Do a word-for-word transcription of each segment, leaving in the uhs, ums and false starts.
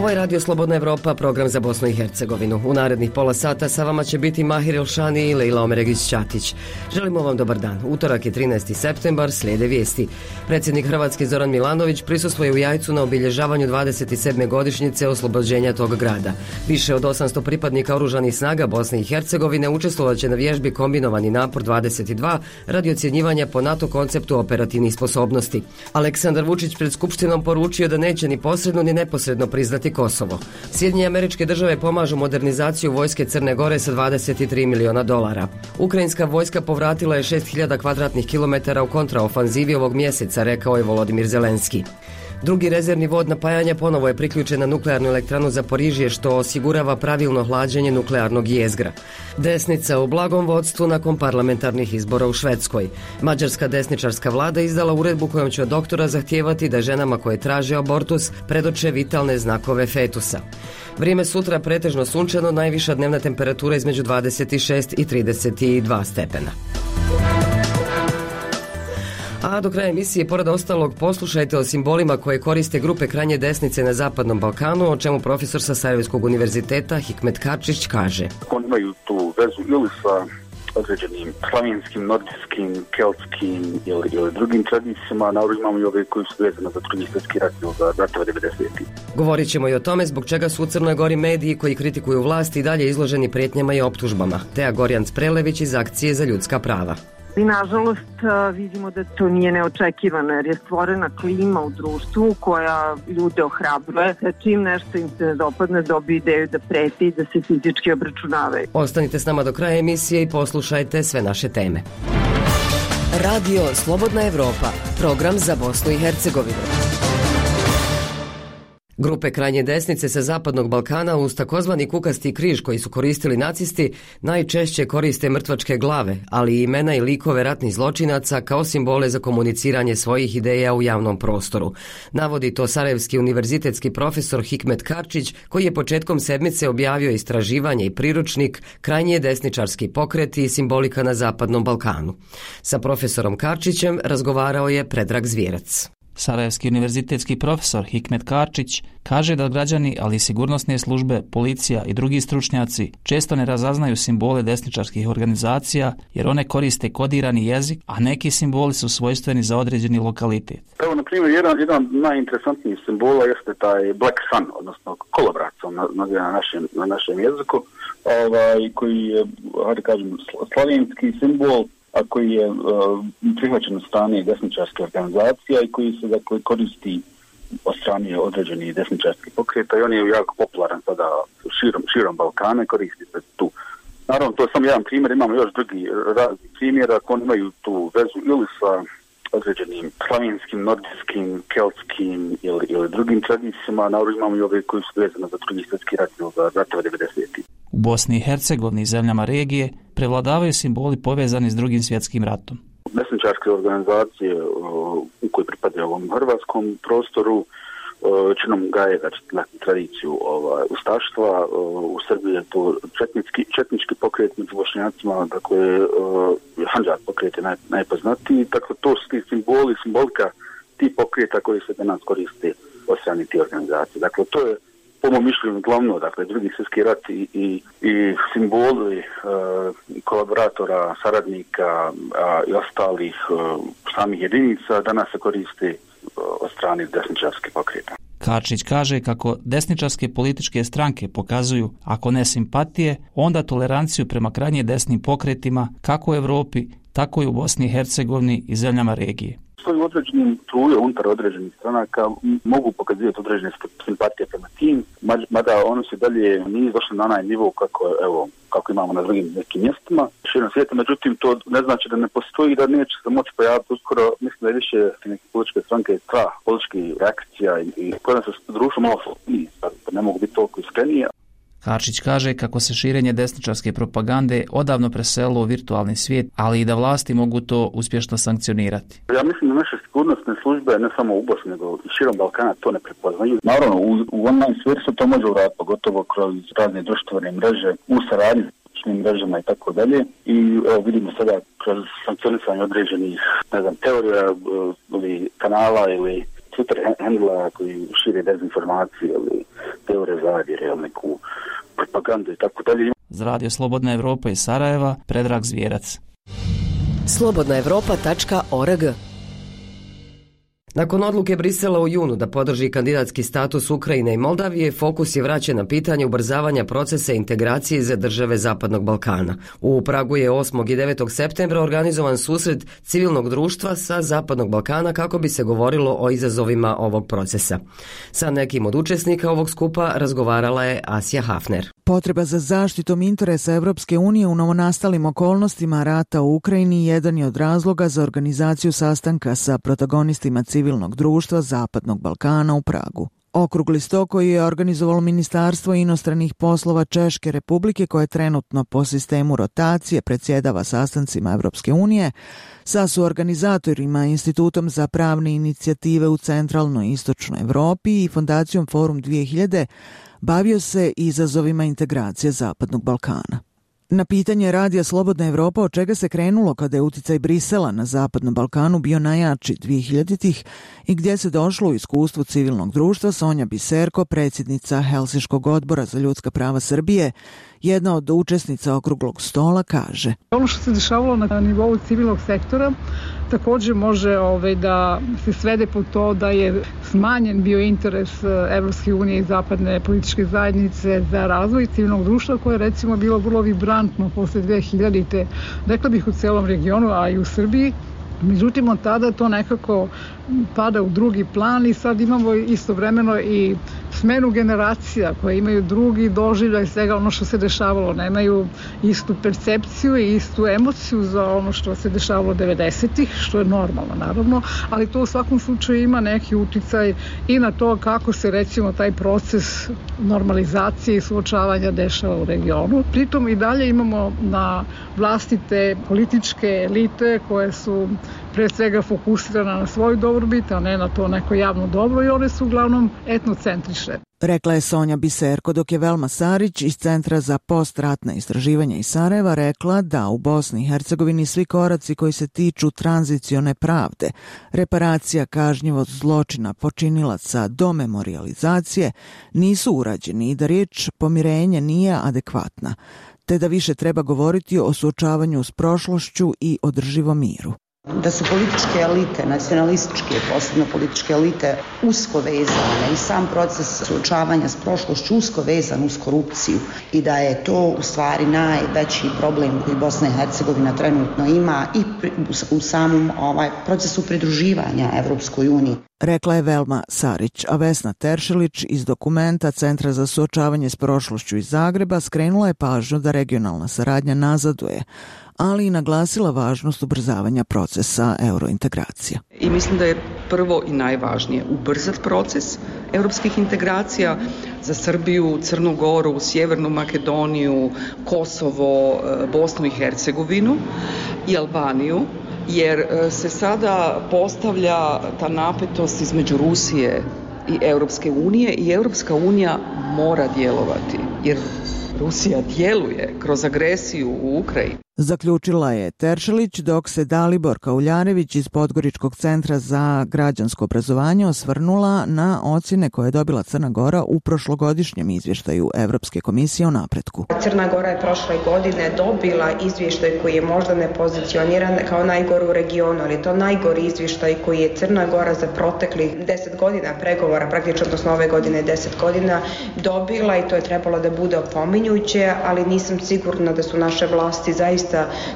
Ovo je Radio Slobodna Evropa, program za Bosnu i Hercegovinu. U narednih pola sata sa vama će biti Mahir Elšani i Lejla Omeregić-Ćatić. Želimo vam dobar dan. Utorak je trinaesti septembar, slijede vijesti. Predsjednik Hrvatske Zoran Milanović prisustvuje u Jajcu na obilježavanju dvadeset sedme godišnjice oslobođenja tog grada. Više od osamsto pripadnika oružanih snaga Bosne i Hercegovine učestvovat će na vježbi Kombinovani napor dvadeset dva radi ocjenjivanja po NATO konceptu operativnih sposobnosti. Aleksandar Vučić pred Skupštinom poručio da neće ni posredno ni neposredno priznati Kosovo. Sjedinjene Američke Države pomažu modernizaciju vojske Crne Gore sa dvadeset tri miliona dolara. Ukrajinska vojska povratila je šest hiljada kvadratnih kilometara u kontraofanzivi ovog mjeseca, rekao je Volodimir Zelenski. Drugi rezervni vod napajanja ponovo je priključen na nuklearnu elektranu Zaporižje, što osigurava pravilno hlađenje nuklearnog jezgra. Desnica u blagom vodstvu nakon parlamentarnih izbora u Švedskoj. Mađarska desničarska vlada izdala uredbu kojom će od doktora zahtijevati da ženama koje traže abortus predoče vitalne znakove fetusa. Vrijeme sutra pretežno sunčano, najviša dnevna temperatura između dvadeset šest i trideset dva stepena. A do kraja emisije, pored ostalog, poslušajte o simbolima koje koriste grupe krajnje desnice na Zapadnom Balkanu, o čemu profesor sa Sarajevskog univerziteta Hikmet Karčić kaže. Oni imaju tu vezu ili sa određenim slavenskim, nordijskim, keltskim ili, ili drugim tradicijama, naravno imamo i ove koji su vezane za drugi svjetski rat ili za ratove devedesetih. Govorit ćemo i o tome zbog čega su u Crnoj Gori mediji koji kritikuju vlast i dalje izloženi prijetnjama i optužbama. Teja Gorjan-Sprelević iz Akcije za ljudska prava. I nažalost vidimo da to nije neočekivano, jer je stvorena klima u društvu koja ljude ohrabruje, da čim nešto im se ne dopadne dobiju ideju da preti i da se fizički obračunavaju. Ostanite s nama do kraja emisije i poslušajte sve naše teme. Radio Slobodna Evropa, program za Bosnu i Hercegovinu. Grupe krajnje desnice sa Zapadnog Balkana uz takozvani kukasti križ koji su koristili nacisti najčešće koriste mrtvačke glave, ali i imena i likove ratnih zločinaca kao simbole za komuniciranje svojih ideja u javnom prostoru. Navodi to Sarajevski univerzitetski profesor Hikmet Karčić, koji je početkom sedmice objavio istraživanje i priručnik Krajnje desničarski pokreti i simbolika na Zapadnom Balkanu. Sa profesorom Karčićem razgovarao je Predrag Zvijerac. Sarajevski univerzitetski profesor Hikmet Karčić kaže da građani, ali i sigurnosne službe, policija i drugi stručnjaci često ne razaznaju simbole desničarskih organizacija jer one koriste kodirani jezik, a neki simboli su svojstveni za određeni lokalitet. Evo, na primjer, jedan, jedan najinteresantnijih simbola jeste taj Black Sun, odnosno kolobrat na, na, našem, na našem jeziku, ovaj, koji je, hajde kažem, slavenski simbol, a koji je uh, prihvaćen od strane desničarske organizacija i koji se dakle koristi od strane određenih desničarskih pokreta i on je jako popularan sada širom, širom Balkana i koristi se tu. Naravno, to je samo jedan primjer, imamo još drugi razni primjera, oni imaju tu vezu ili sa određenim slavenskim, nordijskim, keltskim ili, ili drugim tradicijama, naravno imamo i ove koji su vezane za drugi svjetski rat ili za ratove devedesetih. U Bosni i Hercegovini i zemljama regije prevladavaju simboli povezani s drugim svjetskim ratom. Desničarske organizacije u koji pripadaju ovom hrvatskom prostoru činom gaje tradiciju ovaj, ustaštva. U Srbiji je to četnički, četnički pokret među Bošnjacima, dakle Handžar pokret je naj, najpoznatiji. Dakle, to su ti simboli, simbolika ti pokreta koji se danas koriste od strane ti organizacije. Dakle, to je po mom mišljenju glavno, dakle, drugi svjetski rat i, i, i simboli uh, kolaboratora, saradnika uh, i ostalih uh, samih jedinica danas se koriste uh, od strane desničarskih pokreta. Karčić kaže kako desničarske političke stranke pokazuju, ako ne simpatije, onda toleranciju prema krajnje desnim pokretima kako u Evropi, tako i u Bosni i Hercegovini i zemljama regije. Svoju određenim truje unutar određenih stranaka mogu pokazivati određene simpatije prema tim, mada ono se dalje nije došlo na onaj nivo kako, evo, kako imamo na drugim nekim mjestima širom svijeta, međutim to ne znači da ne postoji, da neće se moći pojaviti uskoro. Mislim da je više neke političke stranke strah političkih reakcija i, i koje se društvo malo slobodniji, pa ne mogu biti toliko iskreniji. Karčić kaže kako se širenje desničarske propagande odavno preselilo u virtualni svijet, ali i da vlasti mogu to uspješno sankcionirati. Ja mislim da naše sigurnosne službe, ne samo u Bosni, nego i širom Balkana, to ne prepoznaju. Naravno, u, u online svijetu se to može uraditi, pogotovo kroz razne društvene mreže, u saradnji s mrežama i tako dalje. I evo, vidimo sada kroz sankcionisanje određenih, ne znam, teorija ili kanala ili Twitter handla koji šire dezinformacije ili teorije zavjere ili neku propagandu i tako dalje. Za Radio Slobodna Evropa iz Sarajeva, Predrag Zvijerac. slobodna evropa tačka org. Nakon odluke Brisela u junu da podrži kandidatski status Ukrajine i Moldavije, fokus je vraćen na pitanje ubrzavanja procesa integracije za države Zapadnog Balkana. U Pragu je osmog i devetog septembra organizovan susret civilnog društva sa Zapadnog Balkana kako bi se govorilo o izazovima ovog procesa. Sa nekim od učesnika ovog skupa razgovarala je Asja Hafner. Potreba za zaštitom interesa Evropske unije u novonastalim okolnostima rata u Ukrajini jedan je od razloga za organizaciju sastanka sa protagonistima civilnog društva Zapadnog Balkana u Pragu. Okrugli sto koji je organizovalo Ministarstvo inostranih poslova Češke Republike, koje trenutno po sistemu rotacije predsjedava sastancima Evropske unije, sa suorganizatorima Institutom za pravne inicijative u centralnoj i istočnoj Evropi i Fondacijom Forum dvije hiljade, bavio se izazovima integracije Zapadnog Balkana. Na pitanje Radija Slobodna Evropa od čega se krenulo kada je uticaj Brisela na Zapadnom Balkanu bio najjači dvehiljaditih i gdje se došlo u iskustvu civilnog društva, Sonja Biserko, predsjednica Helsinškog odbora za ljudska prava Srbije, jedna od učesnica okruglog stola, kaže: Ono što se dešavalo na nivou civilnog sektora također može ovaj, da se svede po to da je smanjen bio interes Evropske unije i zapadne političke zajednice za razvoj civilnog društva, koje je recimo bilo vrlo vibrantno posle dvehiljadite, rekla bih u celom regionu, a i u Srbiji. Međutim, od tada to nekako pada u drugi plan i sad imamo istovremeno i smenu generacija koje imaju drugi doživljaj svega ono što se dešavalo. Nemaju istu percepciju i istu emociju za ono što se dešavalo devedesetih, što je normalno naravno, ali to u svakom slučaju ima neki uticaj i na to kako se recimo taj proces normalizacije i suočavanja dešava u regionu. Pritom i dalje imamo na vlasti te političke elite koje su pre svega fokusirana na svoju dobrobit, a ne na to neko javno dobro, i one su uglavnom etnocentrične. Rekla je Sonja Biserko, dok je Velma Sarić iz Centra za postratna istraživanja iz Sarajeva rekla da u Bosni i Hercegovini svi koraci koji se tiču tranzicione pravde, reparacija kažnjivog zločina počinilaca do memorijalizacije nisu urađeni i da riječ pomirenje nije adekvatna, te da više treba govoriti o suočavanju s prošlošću i održivom miru. Da su političke elite, nacionalističke, posebno političke elite, usko vezane i sam proces suočavanja s prošlošću usko vezan uz korupciju i da je to u stvari najveći problem koji Bosna i Hercegovina trenutno ima i u samom ovaj, procesu pridruživanja Evropskoj uniji. Rekla je Velma Sarić, a Vesna Teršelić iz dokumenta Centra za suočavanje s prošlošću iz Zagreba skrenula je pažnju da regionalna saradnja nazaduje, ali i naglasila važnost ubrzavanja procesa eurointegracija. I mislim da je prvo i najvažnije ubrzati proces europskih integracija za Srbiju, Crnu Goru, Sjevernu Makedoniju, Kosovo, Bosnu i Hercegovinu i Albaniju, jer se sada postavlja ta napetost između Rusije i Europske unije i Europska unija mora djelovati, jer Rusija djeluje kroz agresiju u Ukrajini. Zaključila je Teršelić, dok se Dalibor Kauljarević iz Podgoričkog centra za građansko obrazovanje osvrnula na ocjene koje je dobila Crna Gora u prošlogodišnjem izvještaju Evropske komisije o napretku. Crna Gora je prošle godine dobila izvještaj koji je možda ne pozicioniran kao najgori u regionu, ali to najgori izvještaj koji je Crna Gora za proteklih deset godina pregovora, praktično odnosno ove godine deset godina, dobila, i to je trebalo da bude opominjuće, ali nisam sigurna da su naše vlasti zaista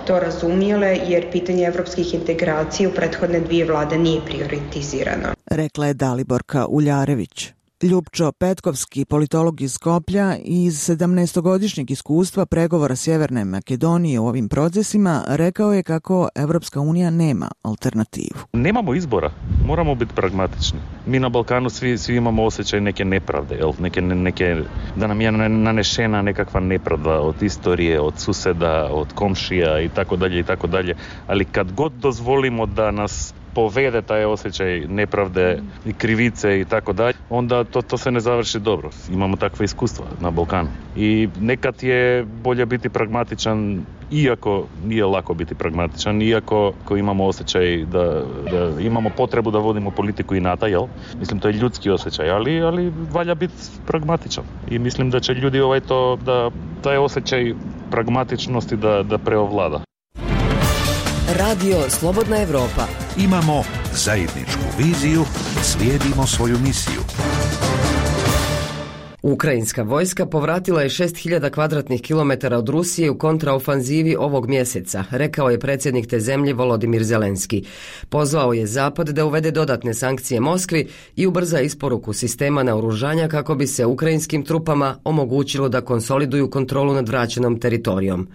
to razumijele, jer pitanje evropskih integracija u prethodne dvije vlade nije prioritizirano. Rekla je Daliborka Uljarević. Ljupčo Petkovski, politolog iz Skoplja, iz sedamnaestogodišnjeg iskustva pregovora Sjeverne Makedonije u ovim procesima, rekao je kako Evropska unija nema alternativu. Nemamo izbora, moramo biti pragmatični. Mi na Balkanu svi, svi imamo osjećaj neke nepravde, jel? Neke, neke, da nam je nanešena nekakva nepravda od istorije, od suseda, od komšija i tako dalje i tako dalje. Ali kad god dozvolimo da nas povede taj osjećaj nepravde i krivice i tako dalje, onda to, to se ne završi dobro. Imamo takve iskustva na Balkanu. I nekad je bolje biti pragmatičan iako nije lako biti pragmatičan, iako ko imamo osjećaj da, da imamo potrebu da vodimo politiku inata, jel? Mislim, to je ljudski osjećaj, ali, ali valja biti pragmatičan. I mislim da će ljudi ovaj to, da taj osjećaj pragmatičnosti da, da preovlada. Radio Slobodna Evropa. Imamo zajedničku viziju, slijedimo svoju misiju. Ukrajinska vojska povratila je šest hiljada kvadratnih kilometara od Rusije u kontraofanzivi ovog mjeseca, rekao je predsjednik te zemlje Volodimir Zelenski. Pozvao je Zapad da uvede dodatne sankcije Moskvi i ubrza isporuku sistema naoružanja kako bi se ukrajinskim trupama omogućilo da konsoliduju kontrolu nad vraćenom teritorijom.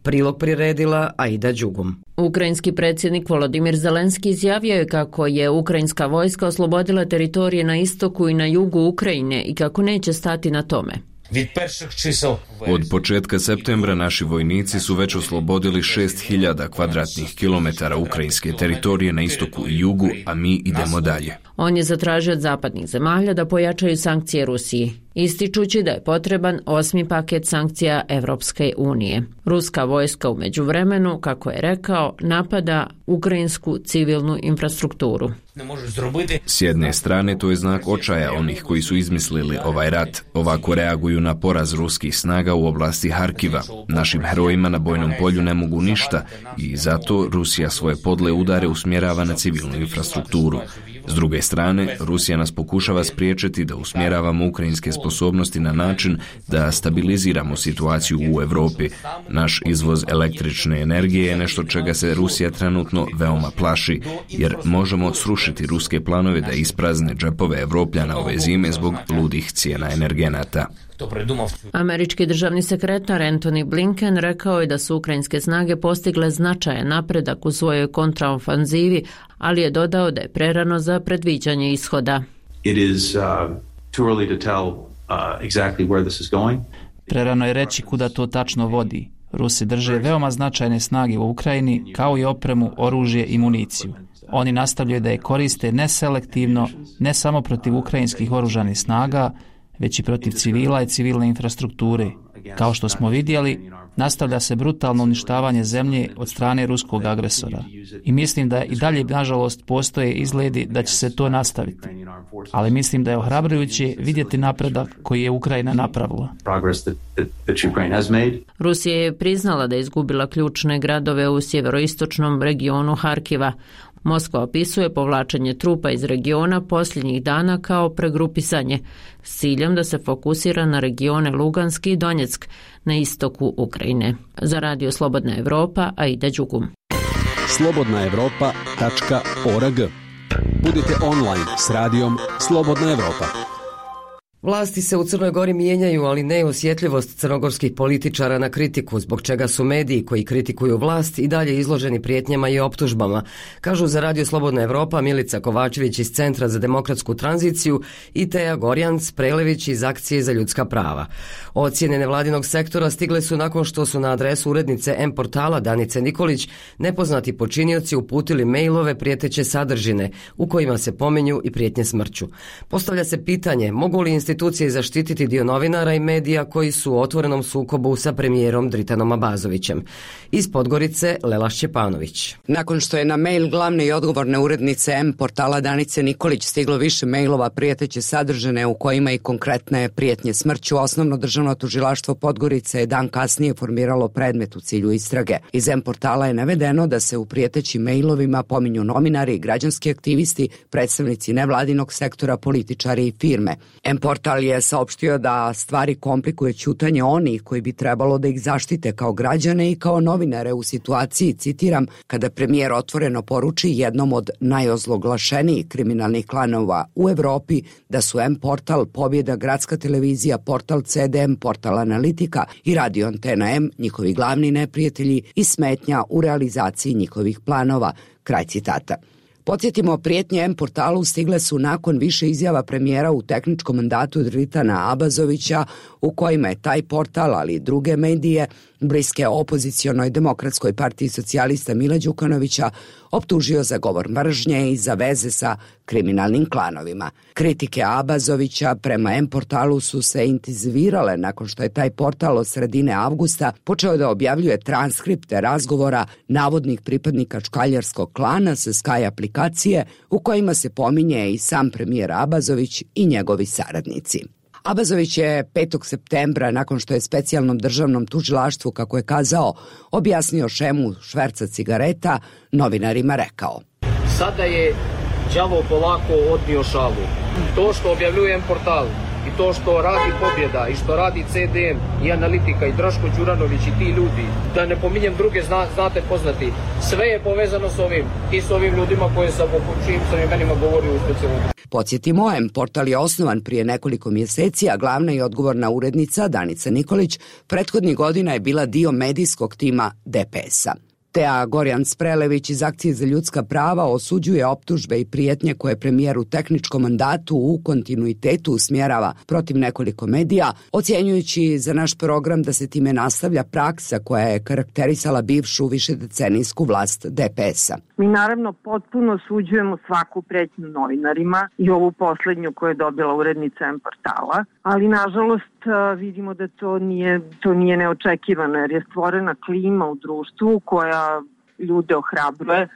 Prilog priredila Aida Đugum. Ukrajinski predsjednik Volodimir Zelenski izjavio je kako je ukrajinska vojska oslobodila teritorije na istoku i na jugu Ukrajine i kako neće stati na tome. Od početka septembra naši vojnici su već oslobodili šest hiljada kvadratnih kilometara ukrajinske teritorije na istoku i jugu, a mi idemo dalje. On je zatražio od zapadnih zemalja da pojačaju sankcije Rusiji, ističući da je potreban osmi paket sankcija Evropske unije. Ruska vojska u međuvremenu, kako je rekao, napada ukrajinsku civilnu infrastrukturu. S jedne strane to je znak očaja onih koji su izmislili ovaj rat. Ovako reaguju na poraz ruskih snaga u oblasti Harkiva. Našim herojima na bojnom polju ne mogu ništa i zato Rusija svoje podle udare usmjerava na civilnu infrastrukturu. S druge strane, Rusija nas pokušava spriječiti da usmjeravamo ukrajinske sposobnosti na način da stabiliziramo situaciju u Europi. Naš izvoz električne energije je nešto čega se Rusija trenutno veoma plaši, jer možemo srušiti ruske planove da isprazne džepove Evropljana ove zime zbog ludih cijena energenata. Američki državni sekretar Antony Blinken rekao je da su ukrajinske snage postigle značajan napredak u svojoj kontraofanzivi, ali je dodao da je prerano za predviđanje ishoda. It is uh, too early to tell uh, exactly where this is going. Prerano je reći kuda to tačno vodi. Rusi drže veoma značajne snage u Ukrajini, kao i opremu, oružje i municiju. Oni nastavljaju da je koriste neselektivno, ne samo protiv ukrajinskih oružanih snaga, već i protiv civila i civilne infrastrukture. Kao što smo vidjeli, nastavlja se brutalno uništavanje zemlje od strane ruskog agresora. I mislim da i dalje, nažalost, postoje izgledi da će se to nastaviti. Ali mislim da je ohrabrujuće vidjeti napredak koji je Ukrajina napravila. Rusija je priznala da je izgubila ključne gradove u sjeveroistočnom regionu Harkiva. Moskva opisuje povlačenje trupa iz regiona posljednjih dana kao pregrupisanje s ciljem da se fokusira na regione Luganski i Donjeck na istoku Ukrajine. Za Radio Slobodna Evropa, Aida Đugum. slobodna evropa tačka org. Budite online s radijom Slobodna Evropa. Vlasti se u Crnoj Gori mijenjaju, ali ne osjetljivost crnogorskih političara na kritiku, zbog čega su mediji koji kritikuju vlast i dalje izloženi prijetnjama i optužbama, kažu za Radio Slobodna Evropa Milica Kovačević iz Centra za demokratsku tranziciju i Teja Gorjanc Prelević iz Akcije za ljudska prava. Ocjene nevladinog sektora stigle su nakon što su na adresu urednice M-portala Danice Nikolić nepoznati počinioci uputili mailove prijeteće sadržine u kojima se pominju i prijetnje smrću. Postavlja se pitanje, mogu li institucije zaštititi dio novinara i medija koji su u otvorenom sukobu sa premijerom Dritanom Abazovićem. Iz Podgorice Lela Šćepanović. Nakon što je na mail glavne i odgovorne urednice M-portala Danice Nikolić stiglo više mailova prijeteće sadržine u kojima i konkretne prijetnje smrću, Osnovno državno tužilaštvo Podgorice je dan kasnije formiralo predmet u cilju istrage. Iz M-portala je navedeno da se u prijetećim mailovima pominju novinari, građanski aktivisti, predstavnici nevladinog sektora, političari i firme. M-portal je saopštio da stvari komplikuje ćutanje onih koji bi trebalo da ih zaštite kao građane i kao novinare u situaciji, citiram, kada premijer otvoreno poruči jednom od najozloglašenijih kriminalnih klanova u Evropi da su M-portal, Pobjeda, Gradska televizija, portal C D M, portal Analitika i Radio Antena M njihovi glavni neprijatelji i smetnja u realizaciji njihovih planova. Kraj citata. Podsjetimo, prijetnje M-portalu stigle su nakon više izjava premijera u tehničkom mandatu Dritana Abazovića u kojima je taj portal, ali i druge medije, bliske opozicionoj Demokratskoj partiji socijalista Mila Đukanovića optužio za govor mržnje i za veze sa kriminalnim klanovima. Kritike Abazovića prema M-portalu su se intenzivirale nakon što je taj portal od sredine avgusta počeo da objavljuje transkripte razgovora navodnih pripadnika čkaljarskog klana sa Sky aplikacije u kojima se pominje i sam premijer Abazović i njegovi saradnici. Abazović je petog septembra, nakon što je specijalnom državnom tužilaštvu, kako je kazao, objasnio šemu šverca cigareta, novinarima rekao: Sada je đavo polako odnio šalu. To što objavljujem portal i to što radi Pobjeda i što radi C D M i Analitika i Draško Đuranović i ti ljudi, da ne pominjem druge, zna, znate poznati, sve je povezano s ovim i s ovim ljudima koje sam o čijim sam imenima govorio u specijalnom. Podsjetimo, M-portal je osnovan prije nekoliko mjeseci, a glavna i odgovorna urednica Danica Nikolić prethodnih godina je bila dio medijskog tima D P S-a. Tea Gorjan Sprelević iz Akcije za ljudska prava osuđuje optužbe i prijetnje koje premijer u tehničkom mandatu u kontinuitetu usmjerava protiv nekoliko medija, ocjenjujući za naš program da se time nastavlja praksa koja je karakterisala bivšu višedecenijsku vlast D P S-a. Mi naravno potpuno osuđujemo svaku pretnju novinarima i ovu poslednju koju je dobila urednica M-portala, ali nažalost vidimo da to nije, to nije neočekivano jer je stvorena klima u društvu koja ljude ohrabruje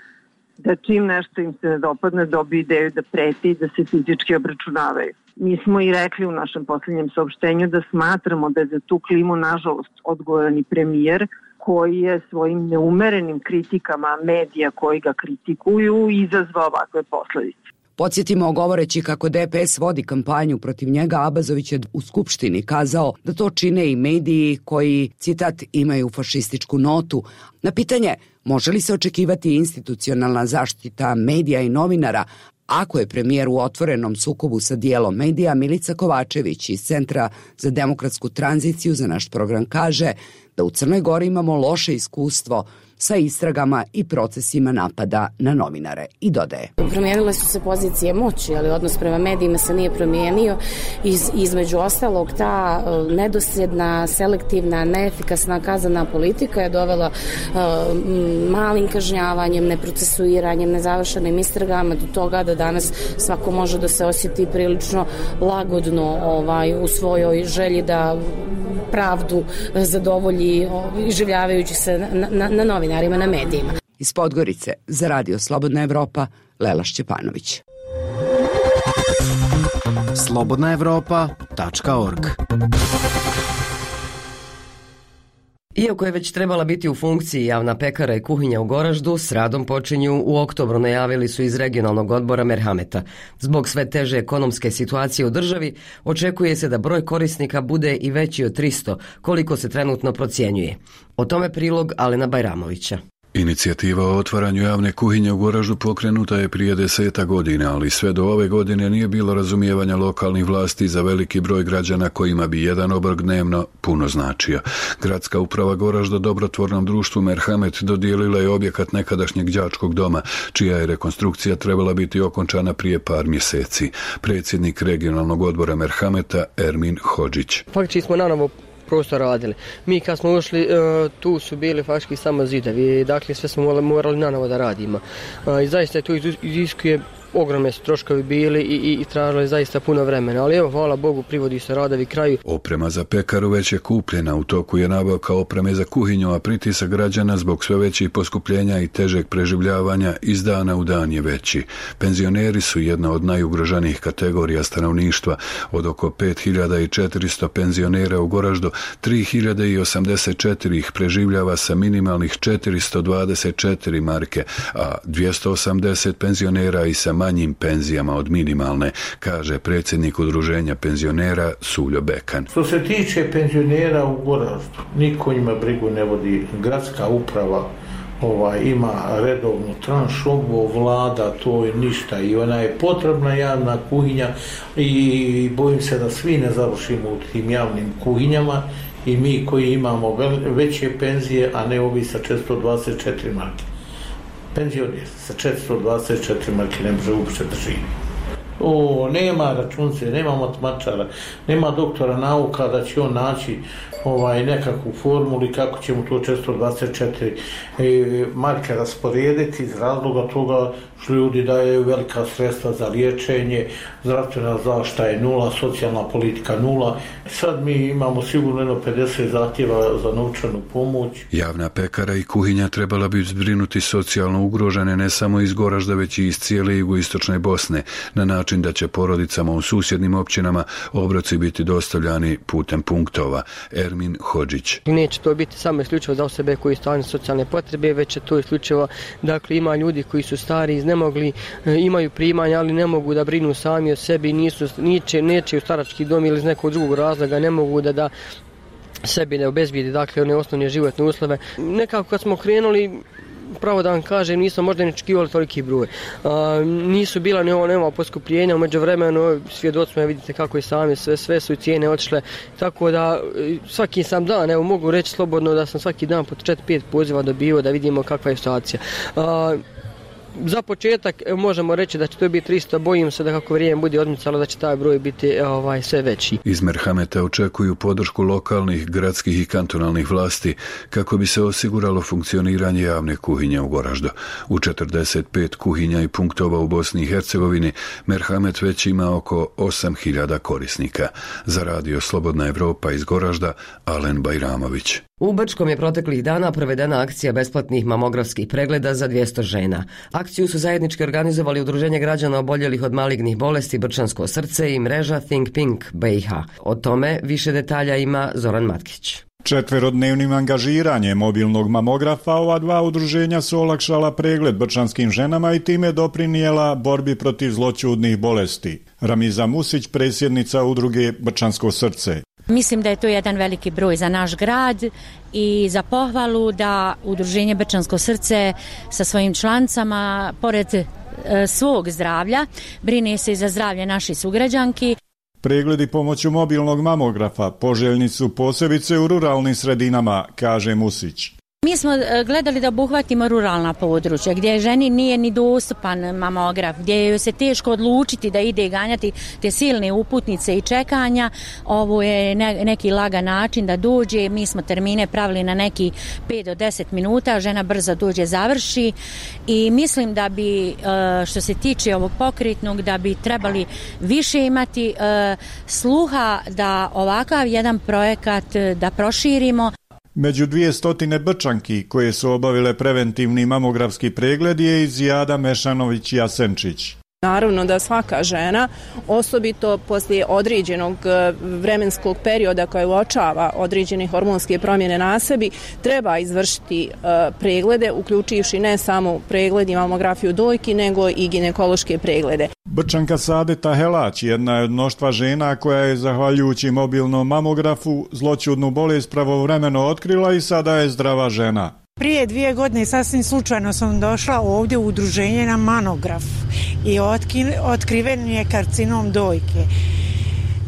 da čim nešto im se ne dopadne dobiju ideju da preti i da se fizički obračunavaju. Mi smo i rekli u našem posljednjem saopštenju da smatramo da je za tu klimu nažalost odgovoran i premijer koji je svojim neumerenim kritikama medija koji ga kritikuju izazvao ovakve posledice. Podsjetimo, govoreći kako D P S vodi kampanju protiv njega, Abazović je u Skupštini kazao da to čine i mediji koji, citat, imaju fašističku notu. Na pitanje može li se očekivati institucionalna zaštita medija i novinara ako je premijer u otvorenom sukobu sa dijelom medija, Milica Kovačević iz Centra za demokratsku tranziciju za naš program kaže da u Crnoj Gori imamo loše iskustvo sa istragama i procesima napada na novinare. I dodaje: Promijenile su se pozicije moći, ali odnos prema medijima se nije promijenio. Iz, između ostalog, ta uh, nedosljedna, selektivna, neefikasna kaznena politika je dovela uh, malim kažnjavanjem, neprocesuiranjem, nezavršenim istragama do toga da danas svako može da se osjeti prilično lagodno ovaj, u svojoj želji da pravdu zadovolji iživljavajući se na, na, na novinarima, na medijima. Iz Podgorice za Radio Slobodna Evropa, Lela Šćepanović. slobodna evropa tačka org. Iako je već trebala biti u funkciji javna pekara i kuhinja u Goraždu, s radom počinju u oktobru, najavili su iz regionalnog odbora Merhameta. Zbog sve teže ekonomske situacije u državi, očekuje se da broj korisnika bude i veći od tristo, koliko se trenutno procjenjuje. O tome prilog Alena Bajramovića. Inicijativa o otvaranju javne kuhinje u Goraždu pokrenuta je prije deseta godina, ali sve do ove godine nije bilo razumijevanja lokalnih vlasti za veliki broj građana kojima bi jedan obrok dnevno puno značio. Gradska uprava Goražda dobrotvornom društvu Merhamet dodijelila je objekat nekadašnjeg đačkog doma, čija je rekonstrukcija trebala biti okončana prije par mjeseci. Predsjednik regionalnog odbora Merhameta Ermin Hodžić. Faktički smo nanovo prostor radili. Mi kad smo ušli, tu su bili faktički samo zidovi, dakle sve smo morali nanovo da radimo. I zaista to iziskuje, ogromne su troškovi bili i, i, i tražili zaista puno vremena, ali evo, hvala Bogu, privodi se radovi kraju. Oprema za pekaru već je kupljena, u toku je nabavka opreme za kuhinju, a pritisak građana zbog sve većih poskupljenja i težeg preživljavanja iz dana u dan je veći. Penzioneri su jedna od najugroženijih kategorija stanovništva. Od oko pet hiljada četiristo penzionera u Goraždu, tri hiljade osamdeset četiri ih preživljava sa minimalnih četiristo dvadeset četiri marke, a dvjesto osamdeset penzionera i sa manjim penzijama od minimalne, kaže predsjednik udruženja penzionera Suljo Bekan. Što se tiče penzionera u Goraždu, niko njima brigu ne vodi. Gradska uprava ovaj, ima redovnu tranšu, vlada to je ništa i ona je potrebna javna kuhinja i bojim se da svi ne završimo u tim javnim kuhinjama i mi koji imamo veće penzije, a ne ovi sa četiristo dvadeset četiri marke. Penzioner sa četiristo dvadeset četiri marke ne može uopšte da živi. O, nema računce, nema matematičara, nema doktora nauka da će on naći ovaj, nekakvu formulu i kako ćemo to četiristo dvadeset četiri e, marke rasporediti iz razloga toga što ljudi daju velika sredstva za liječenje, zdravstvena zaštita je nula, socijalna politika nula. Sad mi imamo sigurno jedno pedeset zahtjeva za novčanu pomoć. Javna pekara i kuhinja trebala bi zbrinuti socijalno ugrožene ne samo iz Goražda, već i iz cijele jugoistočne Bosne, na način da će porodicama u susjednim općinama obroci biti dostavljani putem punktova. Ermin Hodžić. Neće to biti samo isključivo za osobe koji stvarno socijalne potrebe, već je to isključivo, dakle ima ljudi koji su stari, iznemogli, imaju primanja, ali ne mogu da brinu sami o sebi, nisu, niče, neće u starački dom ili iz nekog drugog razloga, ne mogu da da sebi ne obezbijedi, dakle one osnovne životne uslove. Nekako kad smo krenuli, pravo da vam kažem, nisam možda ni očekivali toliki broj. A, nisu bila ni ovo, nema poskupljenja, umeđu vremenu svjedoci smo, vidite kako i sami, sve, sve su i cijene otišle, tako da svaki sam dan, evo mogu reći slobodno da sam svaki dan po četiri pet poziva dobio da vidimo kakva je situacija. A, Za početak možemo reći da će to biti tristo, bojim se da kako vrijeme bude odmicalo da će taj broj biti ovaj, sve veći. Iz Merhameta očekuju podršku lokalnih, gradskih i kantonalnih vlasti kako bi se osiguralo funkcioniranje javne kuhinje u Goraždu. U četrdeset pet kuhinja i punktova u Bosni i Hercegovini Merhamet već ima oko osam hiljada korisnika. Za radio Slobodna Evropa iz Goražda, Alen Bajramović. U Brčkom je proteklih dana provedena akcija besplatnih mamografskih pregleda za dvjesto žena. Akciju su zajednički organizovali Udruženje građana oboljelih od malignih bolesti Brčansko srce i mreža Think Pink B i H. O tome više detalja ima Zoran Matkić. Četverodnevnim angažiranjem mobilnog mamografa ova dva udruženja su olakšala pregled brčanskim ženama i time doprinijela borbi protiv zloćudnih bolesti. Ramiza Musić, predsjednica udruge Brčansko srce. Mislim da je to jedan veliki broj za naš grad i za pohvalu da Udruženje Brčansko srce sa svojim člancama, pored e, svog zdravlja, brine se i za zdravlje naših sugrađanki. Pregledi pomoću mobilnog mamografa poželjni su posebice u ruralnim sredinama, kaže Musić. Mi smo gledali da obuhvatimo ruralna područja gdje ženi nije ni dostupan mamograf, gdje joj se teško odlučiti da ide ganjati te silne uputnice i čekanja. Ovo je ne, neki lagan način da dođe. Mi smo termine pravili na neki pet do deset minuta, žena brzo dođe, završi i mislim da bi, što se tiče ovog pokretnog, da bi trebali više imati sluha da ovakav jedan projekat da proširimo. Među dvije stotine Brčanki koje su obavile preventivni mamografski pregled je i Zijada Mešanović Jasenčić. Naravno da svaka žena, osobito poslije određenog vremenskog perioda koja uočava određene hormonske promjene na sebi, treba izvršiti preglede, uključivši ne samo pregled i mamografiju dojki, nego i ginekološke preglede. Brčanka Sadeta Helać jedna je od mnoštva žena koja je, zahvaljujući mobilnom mamografu, zloćudnu bolest pravovremeno otkrila i sada je zdrava žena. Prije dvije godine sasvim slučajno sam došla ovdje u udruženje na mamograf i otkriven je karcinom dojke.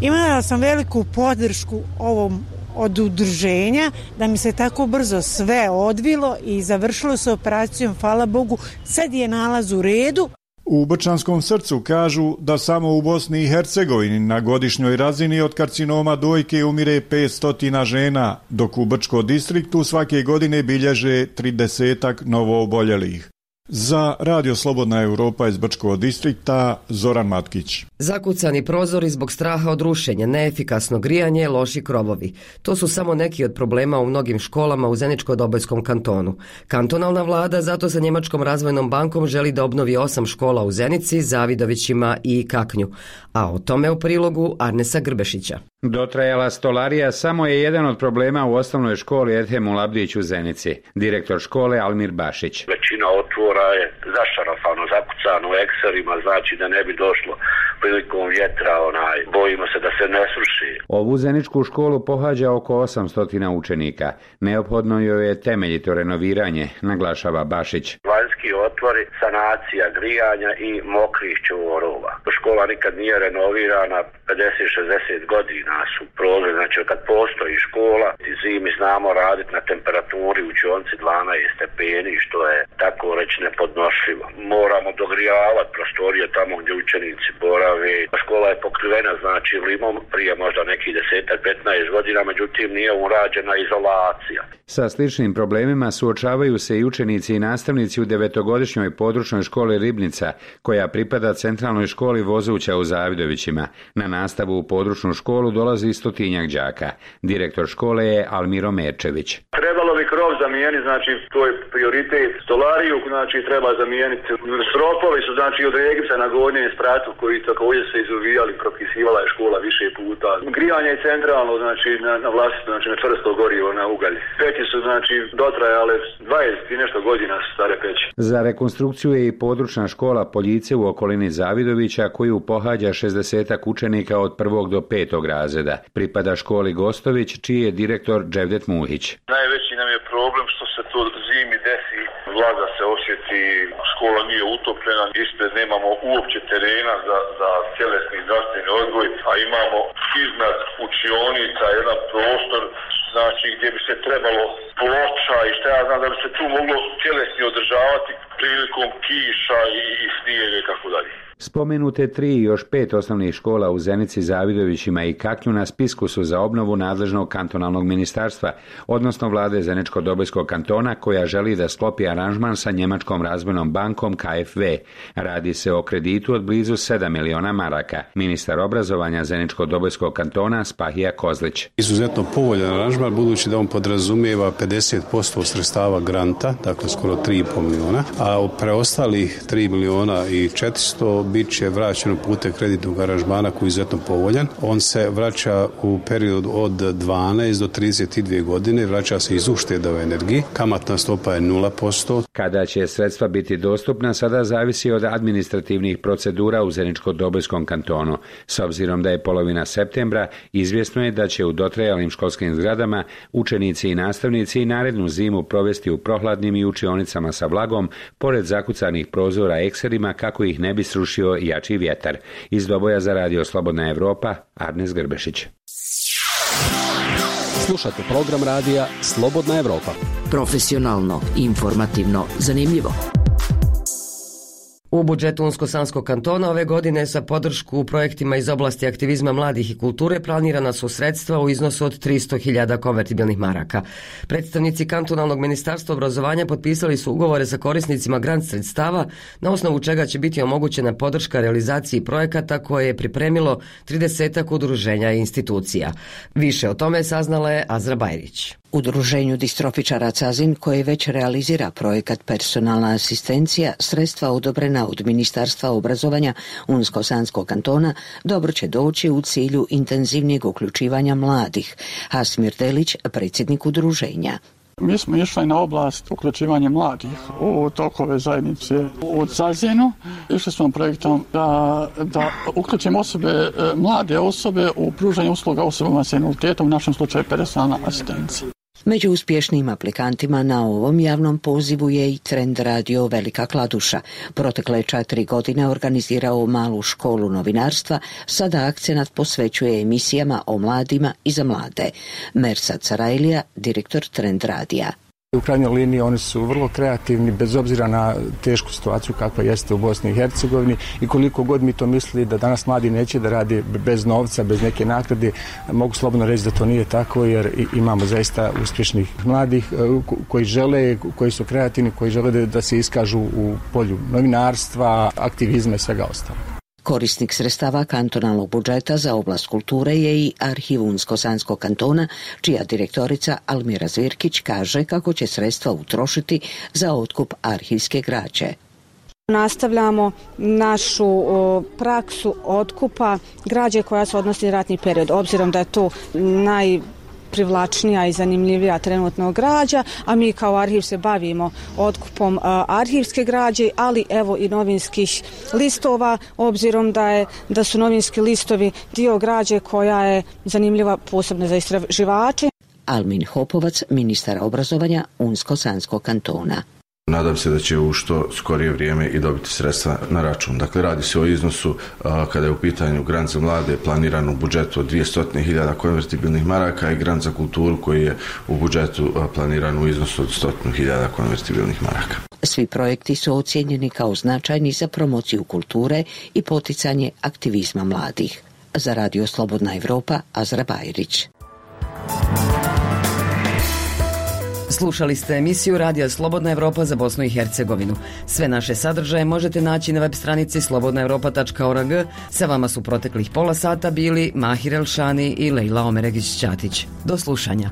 Imala sam veliku podršku ovom od udruženja da mi se tako brzo sve odvilo i završilo se operacijom, hvala Bogu, sad je nalaz u redu. U Brčanskom srcu kažu da samo u Bosni i Hercegovini na godišnjoj razini od karcinoma dojke umire petsto žena, dok u Brčkom distriktu svake godine bilježe tridesetak novooboljelih. Za Radio Slobodna Evropa iz Brčkog distrikta, Zoran Matkić. Zakucani prozori zbog straha od rušenja, neefikasno grijanje, loši krovovi. To su samo neki od problema u mnogim školama u Zeničko-Dobojskom kantonu. Kantonalna vlada zato sa Njemačkom razvojnom bankom želi da obnovi osam škola u Zenici, Zavidovićima i Kaknju. A o tome u prilogu Arnesa Grbešića. Dotrajala stolarija samo je jedan od problema u osnovnoj školi Edhemu Labdić u Zenici. Direktor škole Almir Bašić. Većina otvora je zašarafano zakucano u ekserima, znači da ne bi došlo prilikom vjetra, onaj, bojimo se da se ne sruši. Ovu zeničku školu pohađa oko osamsto učenika. Neophodno joj je temeljito renoviranje, naglašava Bašić. Vanjski otvori, sanacija grijanja i mokrih čvorova. Škola nikad nije renovirana, pedeset šezdeset godina su prozori, znači kad postoji škola, zimi znamo raditi na temperaturi u učionci dvanaest stepeni, što je tako već nepodnošljivo. Moramo dogrijavati prostorije tamo gdje učenici borave. Škola je pokrivena znači limom prije možda nekih desetak, petnaest godina, međutim nije urađena izolacija. Sa sličnim problemima suočavaju se i učenici i nastavnici u devetogodišnjoj područnoj školi Ribnica, koja pripada centralnoj školi Vozuća u Zavidovićima. Na nastavu u područnu školu dolazi stotinjak đaka. Direktor škole je Almiro Merčević. Trebalo bi krov zamijeniti, znači to je prioritet. Stolariju znači treba zamijeniti. Stropovi su znači od Regipsa na gornjem spratu koji također se izuvijali, propisivala je škola više puta. Grijanje je centralno, znači na, na vlastito, znači na čvrsto gorivo, na ugalj. Peći su znači dotrajale dvadeset i nešto godina stare peći. Za rekonstrukciju je i područna škola Poljice u okolini Zavidovića, koju pohađa šezdesetak učenika od prvog do petog razreda. Pripada školi Gostović, čiji je direktor Dževdet Muhić. Najveći nam je problem što se to zimi desi, vlaga se osjeti, škola nije utopljena, ispred nemamo uopće terena za, za tjelesni zdravstveni odgoj, a imamo iznad učionica jedan prostor znači gdje bi se trebalo ploča i šta ja znam da bi se tu moglo tjelesni održavati prilikom kiša i, i snijega i tako dalje. Spomenute tri i još pet osnovnih škola u Zenici, Zavidovićima i Kaklju na spisku su za obnovu nadležnog kantonalnog ministarstva, odnosno vlade Zeničko-Dobojskog kantona, koja želi da sklopi aranžman sa Njemačkom razvojnom bankom K F W. Radi se o kreditu od blizu sedam miliona maraka. Ministar obrazovanja Zeničko-Dobojskog kantona Spahija Kozlić. Izuzetno povoljan aranžman, budući da on podrazumijeva pedeset posto sredstava granta, dakle skoro tri i pol miliona, a preostalih tri miliona i četiristo bit će vraćeno putem kreditnog aranžmana koji je izuzetno povoljan. On se vraća u periodu od dvanaest do trideset dvije godine, vraća se iz ušteda u energiji, kamatna stopa je nula posto. Kada će sredstva biti dostupna, sada zavisi od administrativnih procedura u Zeničko-Dobojskom kantonu. S obzirom da je polovina septembra, izvjesno je da će u dotrajalim školskim zgradama učenici i nastavnici narednu zimu provesti u prohladnim i učionicama sa vlagom, pored zakucanih prozora ekserima, kako ih ne bi srušio jači vjetar. Iz Doboja za radio Slobodna Evropa, Arnes Grbešić. Slušate program radija Slobodna Evropa. Profesionalno, informativno, zanimljivo. U budžetu Unsko-Sanskog kantona ove godine sa podršku u projektima iz oblasti aktivizma mladih i kulture planirana su sredstva u iznosu od tristo hiljada konvertibilnih maraka. Predstavnici kantonalnog ministarstva obrazovanja potpisali su ugovore sa korisnicima grant sredstava, na osnovu čega će biti omogućena podrška realizaciji projekata koje je pripremilo tridesetak udruženja i institucija. Više o tome saznala je Azra Bajrić. Udruženju distrofičara Cazin, koje već realizira projekat personalna asistencija, sredstva odobrena od Ministarstva obrazovanja Unsko-Sanskog kantona dobro će doći u cilju intenzivnijeg uključivanja mladih. Hasmir Delić, predsjednik udruženja. Mi smo išli na oblast uključivanja mladih u tokove zajednice u Cazinu. Išli smo projektom da, da uključimo osobe, mlade osobe u pružanje usluga osobama s invaliditetom, u našem slučaju personalna asistencija. Među uspješnim aplikantima na ovom javnom pozivu je i Trend radio Velika Kladuša. Protekle četiri godine organizirao malu školu novinarstva, sada akcenat posvećuje emisijama o mladima i za mlade. Mersad Sarajlija, direktor Trend radija. U krajnjoj liniji oni su vrlo kreativni bez obzira na tešku situaciju kakva jeste u Bosni i Hercegovini i koliko god mi to mislili da danas mladi neće da radi bez novca, bez neke nagrade, mogu slobodno reći da to nije tako jer imamo zaista uspješnih mladih koji žele, koji su kreativni, koji žele da, da se iskažu u polju novinarstva, aktivizma i svega ostalog. Korisnik sredstava kantonalnog budžeta za oblast kulture je i Arhiv Unsko-Sanskog kantona, čija direktorica Almira Zvirkić kaže kako će sredstva utrošiti za otkup arhivske građe. Nastavljamo našu o, praksu otkupa građe koja se odnosi na ratni period, obzirom da je to naj privlačnija i zanimljivija trenutno građa, a mi kao arhiv se bavimo otkupom a, arhivske građe, ali evo i novinskih listova, obzirom da je da su novinski listovi dio građe koja je zanimljiva posebno za istraživače. Almin Hopovac, ministar obrazovanja Unsko-Sanskog kantona. Nadam se da će u što skorije vrijeme i dobiti sredstva na račun. Dakle, radi se o iznosu a, kada je u pitanju grant za mlade planiran u budžetu od dvjesto hiljada konvertibilnih maraka i grant za kulturu koji je u budžetu a, planiran u iznosu od sto hiljada konvertibilnih maraka. Svi projekti su ocijenjeni kao značajni za promociju kulture i poticanje aktivizma mladih. Za Radio Slobodna Evropa, Azra Bajrić. Slušali ste emisiju Radija Slobodna Evropa za Bosnu i Hercegovinu. Sve naše sadržaje možete naći na web stranici slobodna evropa tačka org. Sa vama su proteklih pola sata bili Mahir Elšani i Lejla Omeregić-Ćatić. Do slušanja.